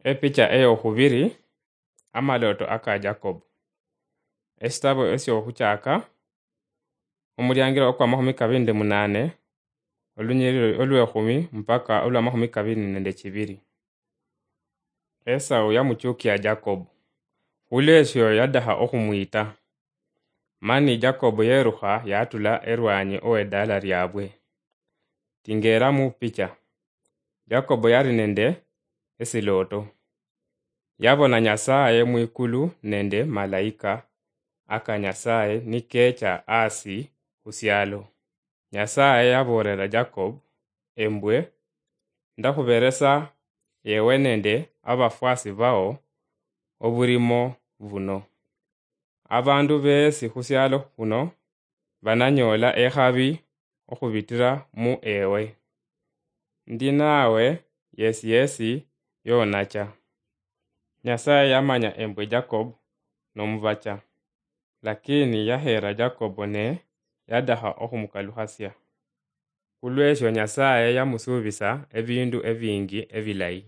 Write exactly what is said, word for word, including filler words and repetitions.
Epicha eyokhubiri, amalooto aka Jacob. Esitabo esyokhuchaka, omuliangiro okwamakhumi kabiri nende munane, olunyiriri olwekhumi mpaka olwamakhumi kabiri nende chibiri. Esau yamuchukia Jacob, khulwesyo yadakha okhumwita. Mani Jacob yerukha yatula erwanyi owedaala lyabwe. Tingera mupicha. Jacob yali nende esilooto. Yabona Nyasaye mwikulu nende malaika aka Nyasaye nikecha asi khusialo. Nyasaye yaboolera Jacob, embwe, ndakhuberesa ewe nende abafwasi bao obulimo buno. Abandu beesi khusialo khuno bananyoola ekhabi okhubitira mu ewe. Ndi nawe yesi yesi yonacha. Nyasaye yamanya embwe Jacob nomubacha, lakini yaheera Jacob ne yadakha okhumukalukhasia. Khulwesyo Nyasaye yamusuubisa ebindu ebingi ebilayi.